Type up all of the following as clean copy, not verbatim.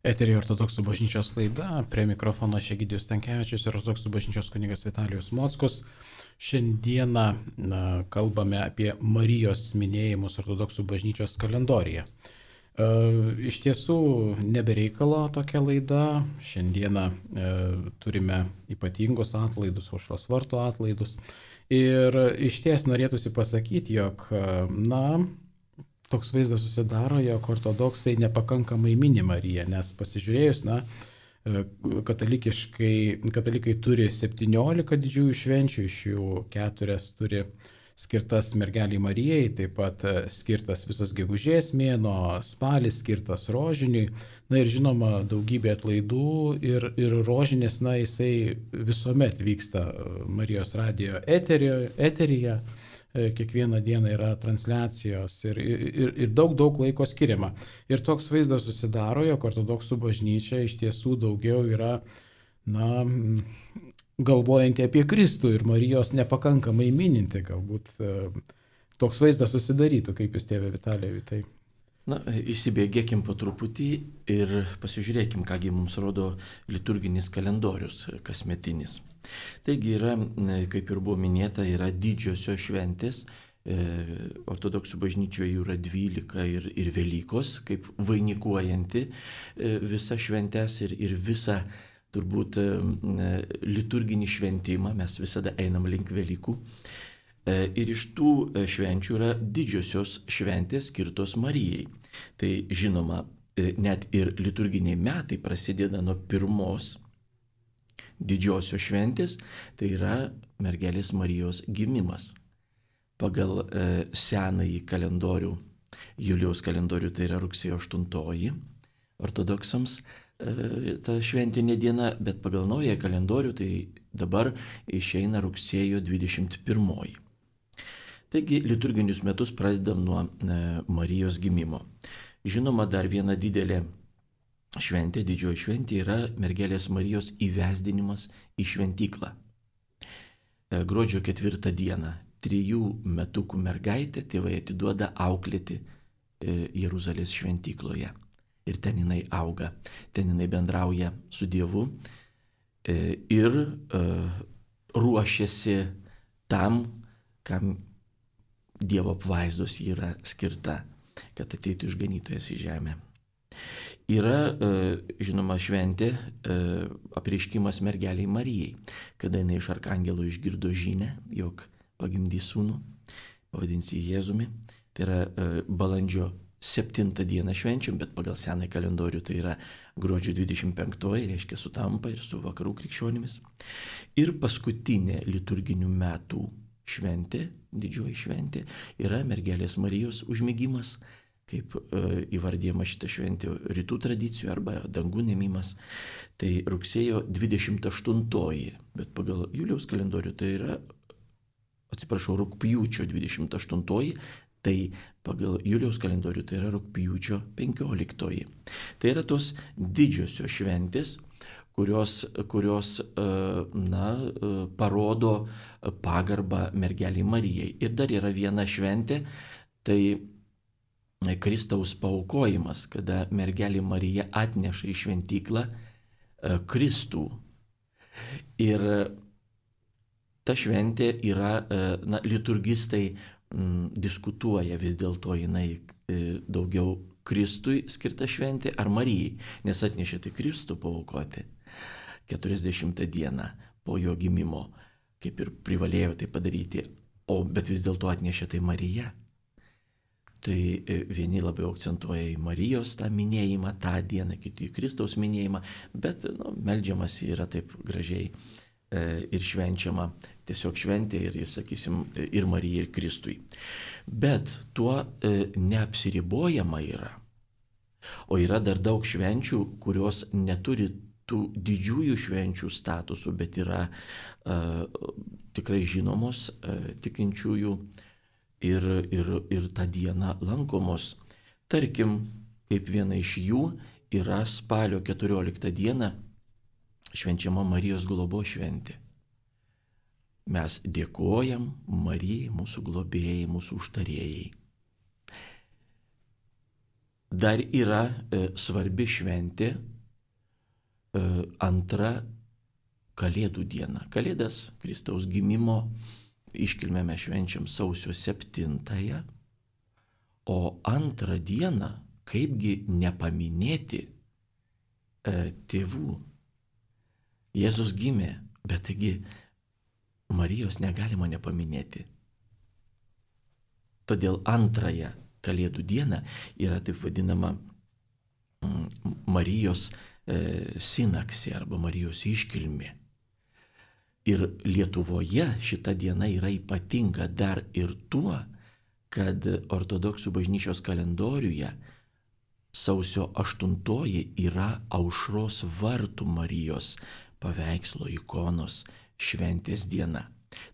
Eteryje Ortodoksų bažnyčios laida, prie mikrofono Egidijus Stankevičius ir Ortodoksų bažnyčios kunigas Vitalijus Mockus. Šiandieną kalbame apie Marijos minėjimus Ortodoksų bažnyčios kalendoriuje. Iš tiesų nebereikalo tokia laida. Šiandieną turime ypatingus atlaidus, aušros vartų atlaidus. Ir iš ties norėtųsi pasakyti, jog toks vaizdas susidaro, jog ortodoksai nepakankamai mini Mariją, nes pasižiūrėjus, katalikai turi 17 didžiųjų švenčių, iš jų 4 turi skirtas mergeliai Marijai, taip pat skirtas visas gegužės mėnuo, spalis skirtas rožiniui, ir žinoma daugybė atlaidų ir rožinės, jisai visuomet vyksta Marijos radijo eteryje. Kiekvieną dieną yra transliacijos ir daug laiko skiriama. Ir toks vaizdas susidaro, jog ortodoksų bažnyčia iš tiesų daugiau yra, galvojanti apie Kristų ir Marijos nepakankamai mininti. Galbūt toks vaizdas susidarytų, kaip jūs, tėve Vitalijau, tai. Įsibėgėkim po truputį ir pasižiūrėkim, kągi mums rodo liturginis kalendorius kasmetinis. Taigi yra, kaip ir buvo minėta, yra didžiosios šventės, ortodoksų bažnyčioje jų yra 12 ir Velykos, kaip vainikuojanti visą šventės ir visą turbūt liturginį šventimą, mes visada einam link Velykų. Ir iš tų švenčių yra didžiosios šventės skirtos Marijai. Tai žinoma, net ir liturginiai metai prasideda nuo pirmos didžiosios šventės, tai yra mergelės Marijos gimimas. Pagal senąjį kalendorių, Julijaus kalendorių, tai yra rugsėjo 8 ortodoksams ta šventinė diena, bet pagal naują kalendorių tai dabar išeina rugsėjo 21. Taigi liturginius metus pradedam nuo Marijos gimimo. Žinoma, dar viena didelė šventė, didžioji šventė yra mergelės Marijos įvesdinimas į šventyklą. Gruodžio 4 dieną 3 metukų mergaitę tėvai atiduoda auklėti Jeruzalės šventykloje. Ir ten jinai auga, ten jinai bendrauja su Dievu ir ruošiasi tam, kam Dievo apvaizdos yra skirta, kad ateitų išganytojas į žemę. Yra, žinoma, šventė apreiškimas mergeliai Marijai, kada jinai iš arkangelo išgirdo žinią, jog pagimdys sūnų, pavadins jį Jėzumi. Tai yra balandžio 7 dieną švenčiam, bet pagal senąjį kalendorių tai yra gruodžio 25, reiškia sutampa ir su vakarų krikščionimis. Ir paskutinė liturginių metų šventė, didžioji šventė, yra mergelės Marijos užmigimas, kaip įvardyjama šitą šventę rytų tradicijų arba dangų nėmimas. Tai rugsėjo 28, bet pagal Julijaus kalendorių tai yra, rugpjūčio 28, tai pagal Julijaus kalendorių tai yra rugpjūčio 15. Tai yra tos didžiosios šventės, kurios parodo pagarbą mergeliai Marijai. Ir dar yra viena šventė, tai Kristaus paaukojimas, kada mergelė Marija atneša į šventyklą Kristų. Ir ta šventė yra, liturgistai diskutuoja vis dėlto jinai daugiau Kristui skirta šventė ar Marijai, nes atnešė tai Kristų paaukoti 40 dieną po jo gimimo, kaip ir privalėjo tai padaryti, bet vis dėlto atnešė tai Marija. Tai vieni labiau akcentuoja į Marijos tą minėjimą, tą dieną, kiti į Kristaus minėjimą, bet meldžiamas yra taip gražiai ir švenčiama, tiesiog šventė ir, sakysim, ir Marijai, ir Kristui. Bet tuo neapsiribojama yra. O yra dar daug švenčių, kurios neturi tų didžiųjų švenčių statusų, bet yra tikrai žinomos tikinčiųjų ir tą dieną lankomos. Tarkim, kaip viena iš jų yra spalio 14 dieną švenčiama Marijos globos šventė. Mes dėkojam Marijai, mūsų globėjai, mūsų užtarėjai. Dar yra svarbi šventė antra Kalėdų diena. Kalėdas, Kristaus gimimo iškilmę mes švenčiam sausio 7, o antrą dieną, kaipgi nepaminėti tėvų. Jėzus gimė, bet taigi Marijos negalima nepaminėti. Todėl antrąją Kalėdų dieną yra taip vadinama Marijos sinaksė arba Marijos iškilmė. Ir Lietuvoje šita diena yra ypatinga dar ir tuo, kad ortodoksų bažnyčios kalendoriuje sausio 8 yra Aušros vartų Marijos paveikslo ikonos šventės diena.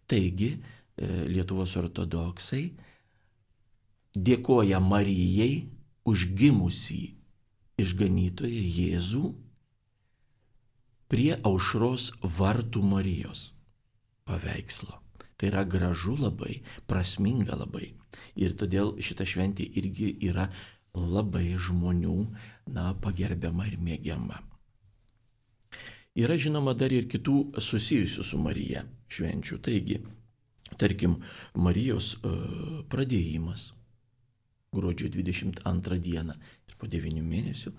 Taigi Lietuvos ortodoksai dėkoja Marijai už gimusį išganytoją Jėzų prie Aušros vartų Marijos paveikslo. Tai yra gražu labai, prasminga labai. Ir todėl šita šventė irgi yra labai žmonių, pagerbiama ir mėgiama. Yra žinoma dar ir kitų susijusių su Marija švenčių. Taigi, tarkim, Marijos pradėjimas gruodžio 22 dieną ir po 9 mėnesių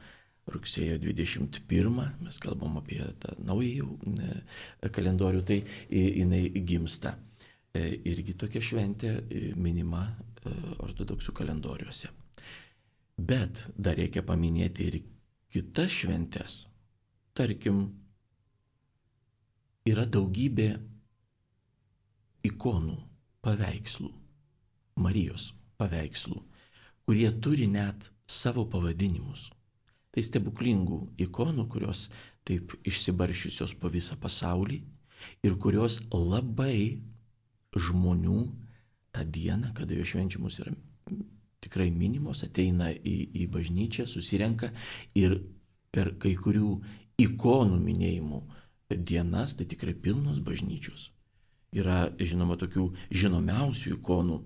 rugsėjo 21, mes kalbam apie tą naują kalendorių, tai jinai gimsta. Irgi tokia šventė minima ortodoksų kalendoriuose. Bet dar reikia paminėti ir kitas šventės. Tarkim, yra daugybė ikonų, paveikslų, Marijos paveikslų, kurie turi net savo pavadinimus. Tai stebuklingų ikonų, kurios taip išsibaršiusios po visą pasaulį ir kurios labai žmonių tą dieną, kada jo švenčiamos yra tikrai minimos, ateina į bažnyčią, susirenka ir per kai kurių ikonų minėjimų dienas, tai tikrai pilnos bažnyčios. Yra, žinoma, tokių žinomiausių ikonų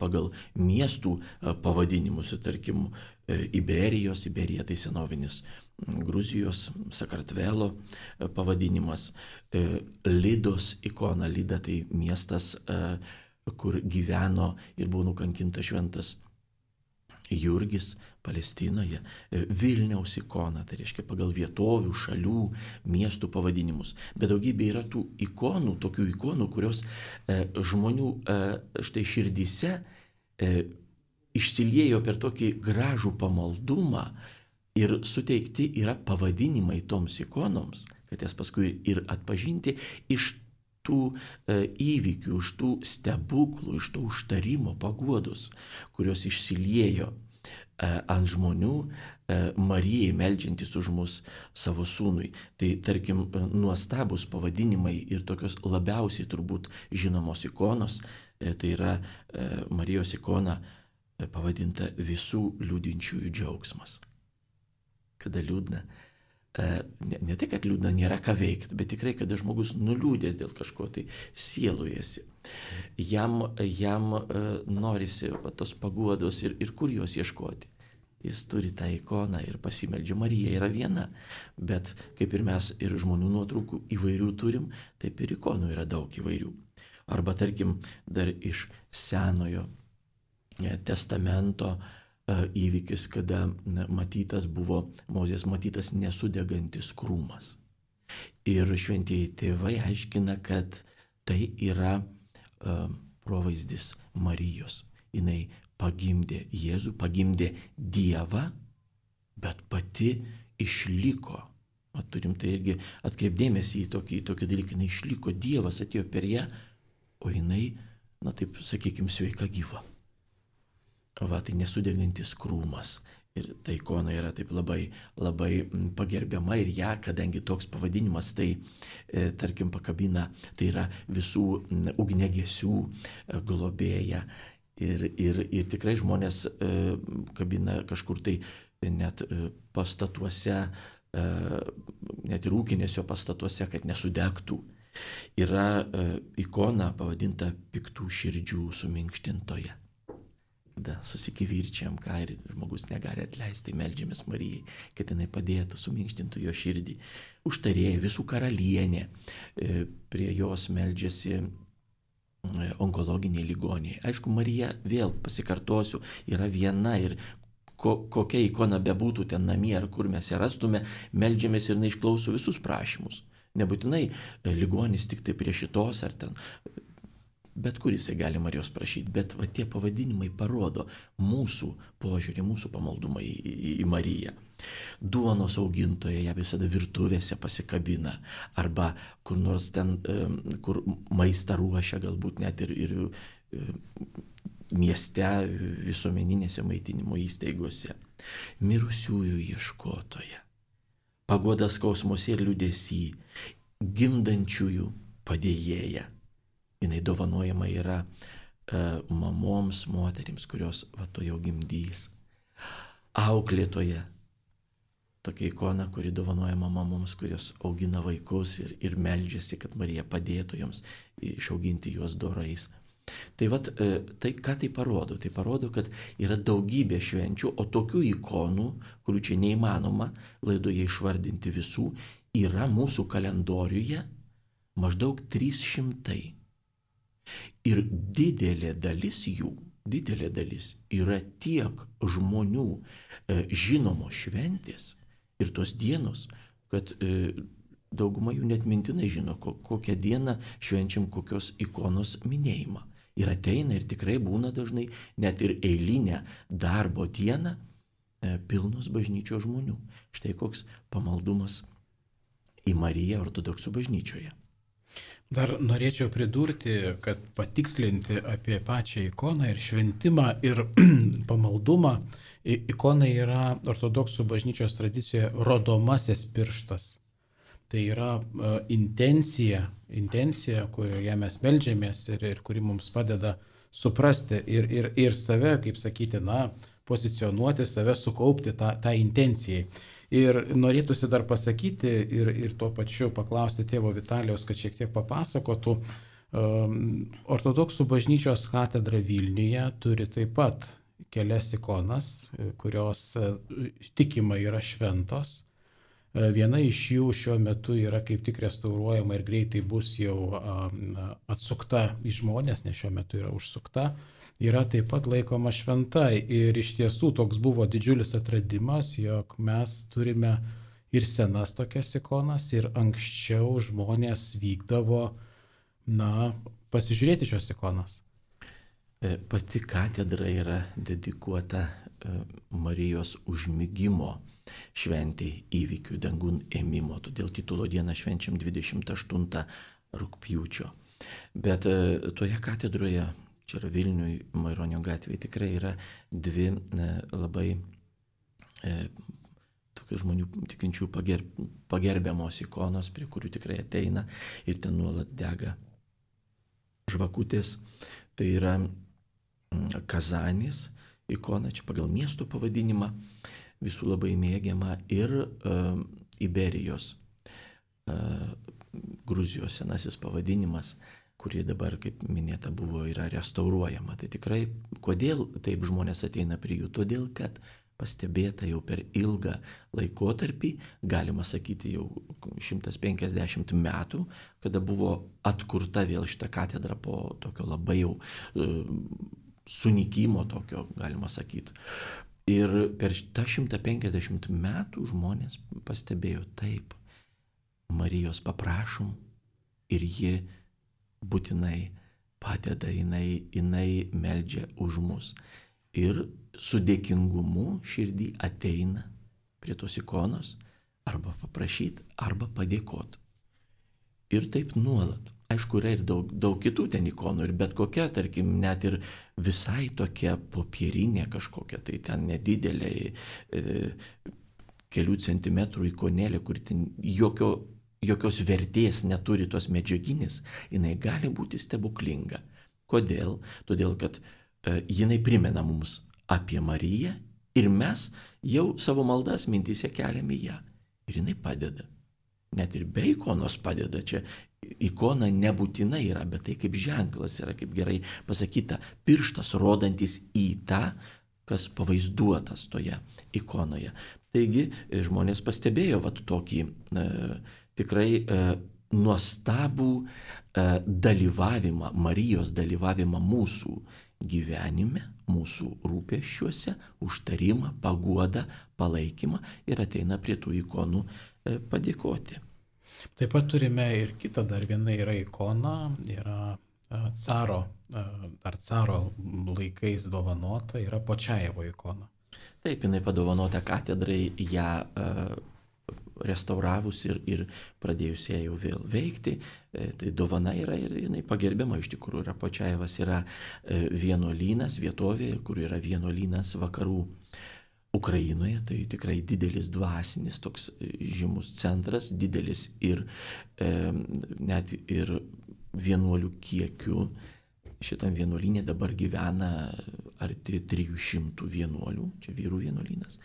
pagal miestų pavadinimus, tarkim, Iberija tai senovinis Gruzijos, Sakartvelo pavadinimas, Lidos ikona, Lida tai miestas, kur gyveno ir buvo nukankintas šventas Jurgis Palestinoje, Vilniaus ikona, tai reiškia pagal vietovių, šalių, miestų pavadinimus. Bet daugybė yra tų ikonų, tokių ikonų, kurios žmonių štai širdyse išsiliejo per tokį gražų pamaldumą ir suteikti yra pavadinimai toms ikonoms, kad jas paskui ir atpažinti iš tų įvykių, iš tų stebuklų, iš to užtarimo paguodos, kurios išsiliejo ant žmonių, Marijai meldžiantis už mus savo sūnui. Tai tarkim, nuostabus pavadinimai ir tokios labiausiai turbūt žinomos ikonos, tai yra Marijos ikona pavadinta visų liūdinčiųjų džiaugsmas. Kada liūdna, ne tai, kad liūdna nėra ką veikti, bet tikrai, kada žmogus nuliūdęs dėl kažko, tai sielujasi. Jam norisi tos paguodos ir kur jos ieškoti. Jis turi tą ikoną ir pasimeldžia. Marija yra viena, bet kaip ir mes ir žmonių nuotraukų įvairių turim, taip ir ikonų yra daug įvairių. Arba tarkim, dar iš Senojo testamento įvykis, kada Mozės matytas nesudegantis krūmas. Ir šventieji tėvai aiškina, kad tai yra provaizdis Marijos. Jinai pagimdė Jėzų, pagimdė Dievą, bet pati išliko. Turim tai irgi atkreipdėmėsi į tokį dalyką. Jinai išliko, Dievas atėjo per ją, o jinai, taip sakykime, sveika gyva. Tai nesudegantis krūmas. Ir ta ikona yra taip labai, labai pagerbiama ir ją, kadangi toks pavadinimas, tai tarkim pakabina, tai yra visų ugniagesių globėja. Ir tikrai žmonės kabina kažkur tai net pastatuose, net ir ūkinėse pastatuose, kad nesudegtų. Yra ikona pavadinta piktų širdžių suminkštintoje. tada susikivirčiam, ką ir žmogus negali atleisti, meldžiamės Marijai, kad jinai padėtų, suminkštintų jo širdį. Užtarėja, visų karalienė, prie jos meldžiasi onkologiniai ligoniai. Aišku, Marija, vėl pasikartosiu, yra viena ir kokia ikona bebūtų ten namie ar kur mes ją rastume, meldžiamės ir jinai išklauso visus prašymus. Nebūtinai ligonis tik tai prie šitos ar ten, bet kur jisai gali Marijos prašyti, bet va, tie pavadinimai parodo mūsų požiūrį, mūsų pamaldumą į Mariją. Duonos augintoja ją visada virtuvėse pasikabina, arba kur nors ten, kur maistą ruošia, galbūt net ir mieste, visuomeninėse maitinimo įstaigose. Mirusiųjų ieškotoja, paguoda skausmuose ir liūdesy, gimdančiųjų padėjėja. Jinai dovanojama yra mamoms, moterims, kurios va to jau gimdys. Auklėtoja, tokia ikona, kuri dovanojama mamoms, kurios augina vaikus ir meldžiasi, kad Marija padėtų joms išauginti juos dorais. Tai vat, tai ką tai parodo? Tai parodo, kad yra daugybė švenčių, o tokių ikonų, kurių čia neįmanoma laidoje išvardinti visų, yra mūsų kalendoriuje maždaug 300. Ir didelė dalis jų, yra tiek žmonių žinomos šventės ir tos dienos, kad dauguma jų net mintinai žino, kokią dieną švenčiam kokios ikonos minėjimą. Ir ateina ir tikrai būna dažnai net ir eilinę darbo dieną pilnos bažnyčios žmonių. Štai koks pamaldumas į Mariją ortodoksų bažnyčioje. Dar norėčiau pridurti, kad patikslinti apie pačią ikoną ir šventimą ir pamaldumą. Ikona yra ortodoksų bažnyčios tradicijoje rodomasis pirštas. Tai yra intencija, kurioje mes meldžiamės ir kuri mums padeda suprasti ir save, kaip sakyti, pozicionuoti save, sukaupti tą intencijai. Ir norėtųsi dar pasakyti ir tuo pačiu paklausti tėvo Vitalijaus, kad šiek tiek papasakotų. Ortodoksų bažnyčios katedra Vilniuje turi taip pat kelias ikonas, kurios tikima yra šventos. Viena iš jų šiuo metu yra kaip tik restauruojama ir greitai bus jau atsukta į žmones, nes šiuo metu yra užsukta. Yra taip pat laikoma šventa ir iš tiesų toks buvo didžiulis atradimas, jog mes turime ir senas tokias ikonas ir anksčiau žmonės vykdavo, pasižiūrėti šios ikonas. Pati katedra yra dedikuota Marijos užmigimo šventei, įvykių dangun ėmimo, todėl titulo dieną švenčiam 28 rugpjūčio. Bet toje katedroje, čia yra Vilniui, Maironio gatvėje, tikrai yra dvi labai tokių žmonių tikinčių pagerbiamos ikonos, prie kurių tikrai ateina ir ten nuolat dega žvakutės. Tai yra Kazanis ikona, čia pagal miesto pavadinimą, visų labai mėgiama, ir Iberijos, Gruzijos senasis pavadinimas, kurie dabar, kaip minėta, yra restauruojama. Tai tikrai, kodėl taip žmonės ateina prie jų? Todėl, kad pastebėta jau per ilgą laikotarpį, galima sakyti jau 150 metų, kada buvo atkurta vėl šita katedra po tokio labai jau sunykimo tokio, galima sakyti. Ir per tą 150 metų žmonės pastebėjo, taip, Marijos paprašom ir ji būtinai padeda, jinai meldžia už mus. Ir su dėkingumu širdį ateina prie tos ikonos arba paprašyti, arba padėkoti. Ir taip nuolat. Aišku, yra ir daug kitų ten ikonų, ir bet kokia, tarkim, net ir visai tokia popierinė kažkokia, tai ten nedidelė kelių centimetrų ikonėlė, kur ten jokios vertės neturi tos medžiaginės, jinai gali būti stebuklinga. Kodėl? Todėl, kad jinai primena mums apie Mariją ir mes jau savo maldas mintyse keliame ją. Ir jinai padeda. net ir be ikonos padeda. Čia ikona nebūtinai yra, bet tai kaip ženklas yra, kaip gerai pasakyta, pirštas rodantis į tą, kas pavaizduotas toje ikonoje. Taigi žmonės pastebėjo tokį tikrai nuostabų dalyvavimą, Marijos dalyvavimą mūsų gyvenime, mūsų rūpesčiuose, užtarimą, paguodą, palaikymą ir ateina prie tų ikonų padėkoti. Taip pat turime ir kitą, dar viena yra ikona, yra caro laikais dovanota, yra Počajevo ikona. Taip, jinai padovanota katedrai, ją restauravus ir pradėjus ją jau vėl veikti, tai dovana yra ir jinai pagerbiama iš tikrųjų. Yra Počajevas yra vienuolynas, vietovė, kur yra vienuolynas vakarų Ukrainoje, tai tikrai didelis dvasinis toks žymus centras, didelis ir net ir vienuolių kiekiu. Šitam vienuolynė dabar gyvena arti 300 vienuolių, čia vyrų vienuolynas.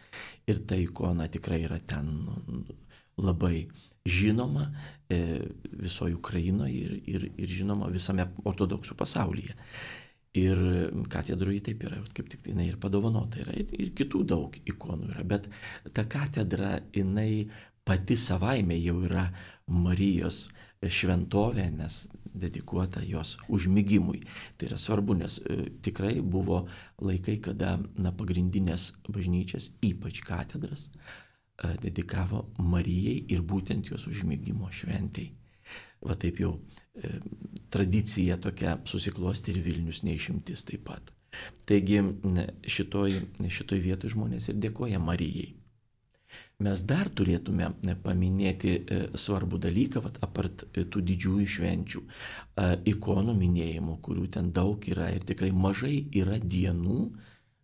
Ir ta ikona tikrai yra ten labai žinoma visoje Ukrainoje ir žinoma visame ortodoksų pasaulyje. Ir katedroje taip yra, kaip tik jinai ir padovanota yra, ir kitų daug ikonų yra, bet ta katedra, jinai pati savaime jau yra Marijos šventovė, nes dedikuota jos užmigimui. Tai yra svarbu, nes tikrai buvo laikai, kada pagrindinės bažnyčias, ypač katedras, dedikavo Marijai ir būtent jos užmigimo šventei. Va taip jau tradicija tokia susiklosti ir Vilnius neišimtis taip pat. Taigi šitoj vietoj žmonės ir dėkoja Marijai. Mes dar turėtume paminėti svarbų dalyką, apart tų didžiųjų švenčių, ikonų minėjimų, kurių ten daug yra ir tikrai mažai yra dienų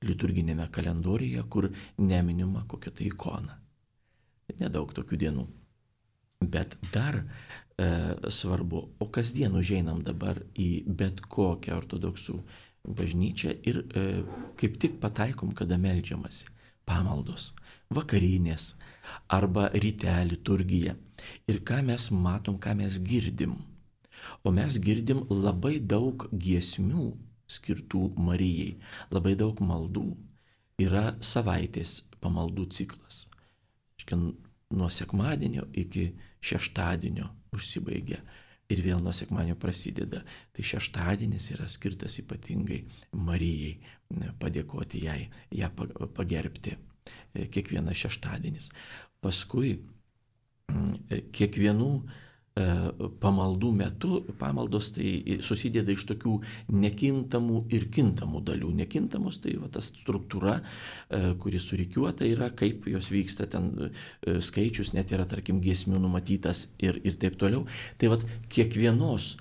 liturginėme kalendoriuje, kur neminima kokia tai ikona. Nedaug tokių dienų. Bet dar svarbu, o kasdien užeinam dabar į bet kokią ortodoksų bažnyčią ir kaip tik pataikom, kada meldžiamasi. Pamaldos, vakarinės arba ryte liturgija. Ir ką mes matom, ką mes girdim. O mes girdim labai daug giesmių skirtų Marijai, labai daug maldų. Yra savaitės pamaldų ciklas. Nuo sekmadienio iki šeštadienio užsibaigia. Ir vėl nuo sekmadienio prasideda. Tai šeštadienis yra skirtas ypatingai Marijai, padėkoti jai, ją pagerbti. Kiekvienas šeštadienis. Paskui kiekvienų pamaldų metu, pamaldos tai susideda iš tokių nekintamų ir kintamų dalių. Nekintamos tai ta struktūra, kuri surikiuota yra, kaip jos vyksta, ten skaičius net yra, tarkim, giesmių numatytas ir taip toliau. Tai kiekvienos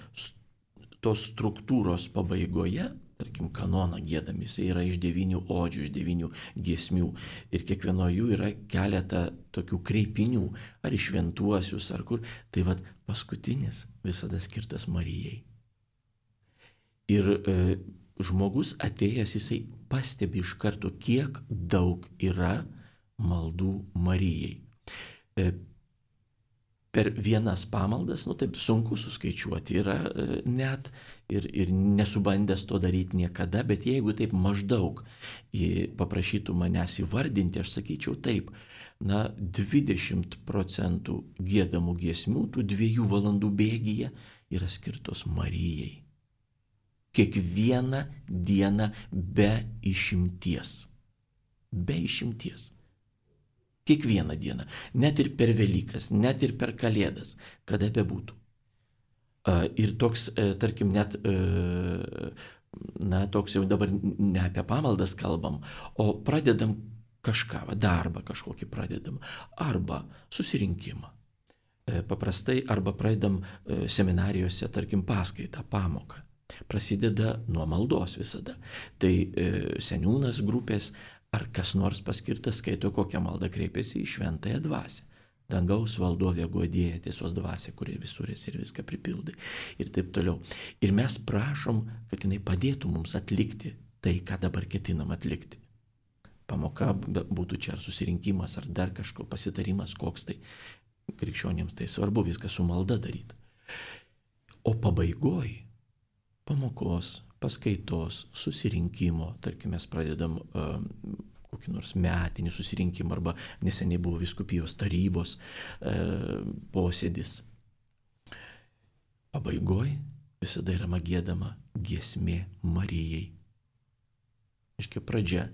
tos struktūros pabaigoje, tarkim, kanoną giedami, jis yra iš 9 odžių, iš 9 giesmių. Ir kiekvienoje jų yra keletą tokių kreipinių, ar į šventuosius, ar kur. Tai paskutinis visada skirtas Marijai. Ir žmogus atėjęs, jisai pastebi iš karto, kiek daug yra maldų Marijai. Per vienas pamaldas, taip sunku suskaičiuoti yra net ir nesubandęs to daryti niekada, bet jeigu taip maždaug paprašytų manęs įvardinti, aš sakyčiau taip, 20% giedamų giesmių, tų 2 valandų bėgyje yra skirtos Marijai. Kiekvieną dieną be išimties. Be išimties. Kiekvieną dieną, net ir per Velykas, net ir per Kalėdas, kada bebūtų. Ir toks, tarkim, net, toks jau dabar ne apie pamaldas kalbam, o pradedam kažką, darbą kažkokį pradedam, arba susirinkimą. Paprastai, arba pradedam seminarijose, tarkim, paskaitą, pamoką. Prasideda nuo maldos visada. Tai seniūnas grupės, ar kas nors paskirtas skaito kokią maldą, kreipiasi į šventąją dvasią. Dangaus valdovė guodėja, tiesos dvasia, kurie visur esi ir viską pripildai. Ir taip toliau. Ir mes prašom, kad jinai padėtų mums atlikti tai, ką dabar ketinam atlikti. Pamoka būtų čia ar susirinkimas, ar dar kažko pasitarimas koks tai. krikščionėms tai svarbu viską su malda daryti. O pabaigoj pamokos, paskaitos, susirinkimo, tarkim, mes pradedam kokį nors metinį susirinkimą arba neseniai buvo vyskupijos tarybos posėdis. Pabaigoj visada yra giedama giesmė Marijai. Iškia pradžia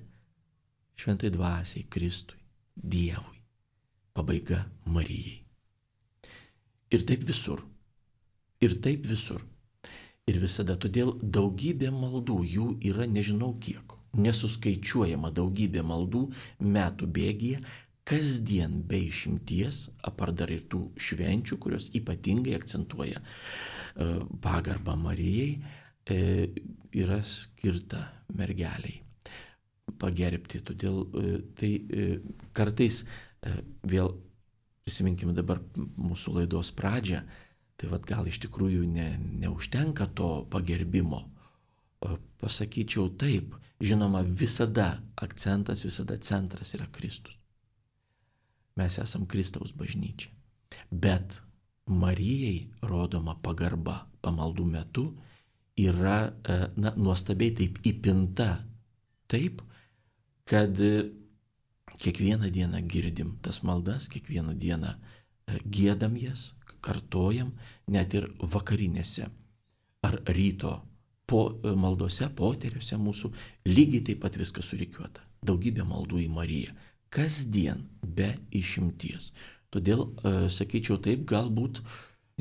šventai dvasiai, Kristui, Dievui. Pabaiga Marijai. Ir taip visur. Ir taip visur. Ir visada. Todėl daugybė maldų, jų yra nežinau kiek. Nesuskaičiuojama daugybė maldų metų bėgyje, kasdien be išimties, apart dar ir tų švenčių, kurios ypatingai akcentuoja pagarbą Marijai, yra skirta mergeliai pagerbti. Todėl tai kartais vėl prisiminkime dabar mūsų laidos pradžią, tai gal iš tikrųjų neužtenka to pagerbimo. Pasakyčiau taip, žinoma, visada akcentas, visada centras yra Kristus. Mes esam Kristaus bažnyčia. Bet Marijai rodoma pagarba pamaldų metu yra nuostabiai taip įpinta, taip, kad kiekvieną dieną girdim tas maldas, kiekvieną dieną giedam jas, kartojam, net ir vakarinėse ar ryto maldose, poteriuose mūsų, lygiai taip pat viskas surikiuota. Daugybė maldų į Mariją. Kasdien be išimties. Todėl, sakyčiau taip, galbūt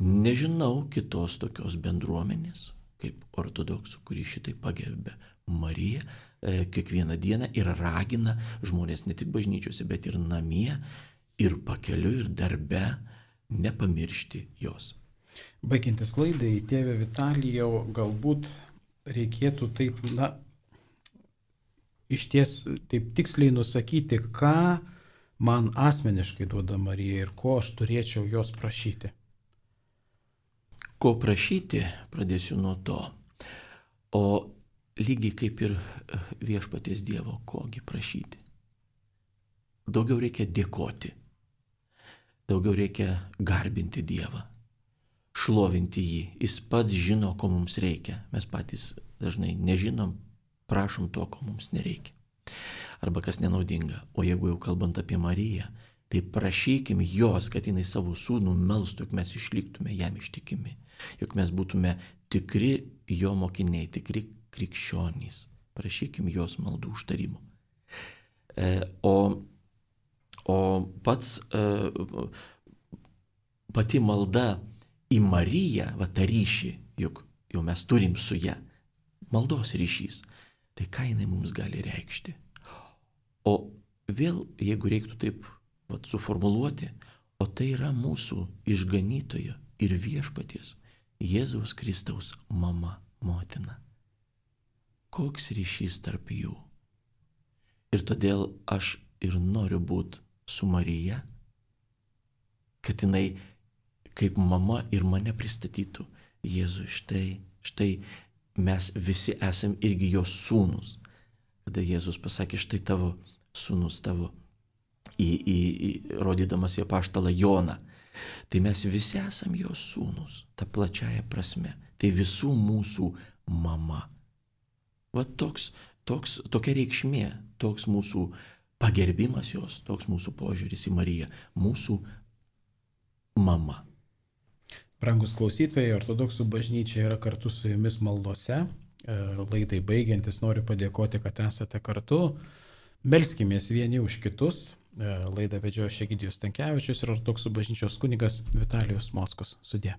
nežinau kitos tokios bendruomenės, kaip ortodoksų, kuri šitai pagerbė Mariją kiekvieną dieną ir ragina žmonės ne tik bažnyčiose, bet ir namie, ir pakeliu, ir darbe nepamiršti jos. Baigiantis laidai, tėve Vitalijau, galbūt reikėtų taip, iš ties taip tiksliai nusakyti, ką man asmeniškai duoda Marija ir ko aš turėčiau jos prašyti. Ko prašyti, pradėsiu nuo to. O lygiai kaip ir viešpaties Dievo, kogi prašyti. Daugiau reikia dėkoti. Daugiau reikia garbinti Dievą. Šlovinti jį. Jis pats žino, ko mums reikia. Mes patys dažnai nežinom, prašom to, ko mums nereikia. Arba kas nenaudinga. O jeigu jau kalbant apie Mariją, tai prašykim jos, kad jinai savo sūnų melstų, jog mes išliktume jam ištikimi. Jog mes būtume tikri jo mokiniai, tikri krikščionys. Prašykim jos maldų užtarimo. O pati malda į Mariją, tą ryšį, juk jau mes turim su ją, maldos ryšys, tai ką jinai mums gali reikšti. O vėl, jeigu reiktų taip suformuluoti, o tai yra mūsų išganytojo ir viešpaties Jėzaus Kristaus mama, motina. Koks ryšys tarp jų. Ir todėl aš ir noriu būti su Marija, kad jinai kaip mama ir mane pristatytų. Jėzui, štai mes visi esam irgi jos sūnus. Kada Jėzus pasakė, štai tavo sūnus, tavo, rodydamas į apaštalą Joną. Tai mes visi esam jos sūnus, ta plačiaja prasme. Tai visų mūsų mama. Tokia reikšmė, toks mūsų pagerbimas jos, toks mūsų požiūris į Mariją, mūsų mama. Brangus klausytojai, ortodoksų bažnyčia yra kartu su jumis maldose. Laidai baigiantis noriu padėkoti, kad esate kartu. Melskimės vieni už kitus. Laidą vedžiojo Egidijus Stankevičius ir ortodoksų bažnyčios kunigas Vitalijus Mockus. Sudie.